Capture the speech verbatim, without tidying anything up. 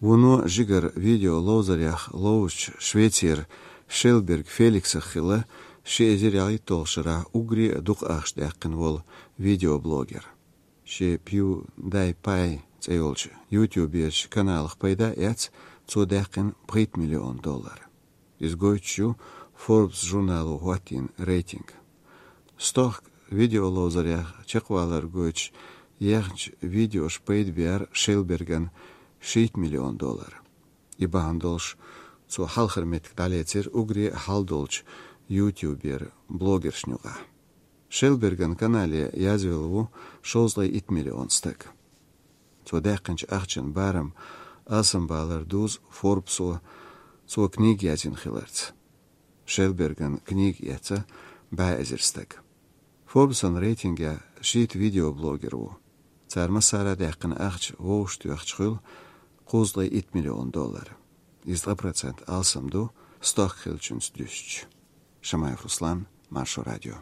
Вуно жигара видео ловзарехь ловзучу Швецера Шелберг Феликсах хилла ши эзар ялхитталгӀачу шарахь уггаре а дукха ахча даьккхина волу видеоблогер. Шен PewDiePie цӀе йолчу YouTube-ерчу каналах пайда а эцна, цо даьккхина пхийтта миллион доллар. Иза гойтуш ю Forbes журнало хӀоттийна рейтинг. Стохка видео ловзарехь чекхвалар гойтуш ехначу видеоша пайда беара Шелбергана шийтта миллион доллар. И бахьана долуш цо хьалхара меттиг дӀалецира уггаре а хьал долчу YouTube-ера блогершна юкъахь. Шелберган канале язвелла ву шовзткъе итт миллион стаг. Цо даьккхинчу ахчан барам алсамбалар дузу Forbes-о цо книга язйина хиларца. Шелберган книга эцна бӀе эзар стаг. Forbes-ан рейтингехь шийтта видеоблогер ву. Цара массара а даьккхина ахча вовшахтоьхча хуьлу кхузткъе итт миллион доллар. Иза ткъа процент алсам ду стохка хиллачуьнца дуьстича. Шамаев Руслан, Маршо радио.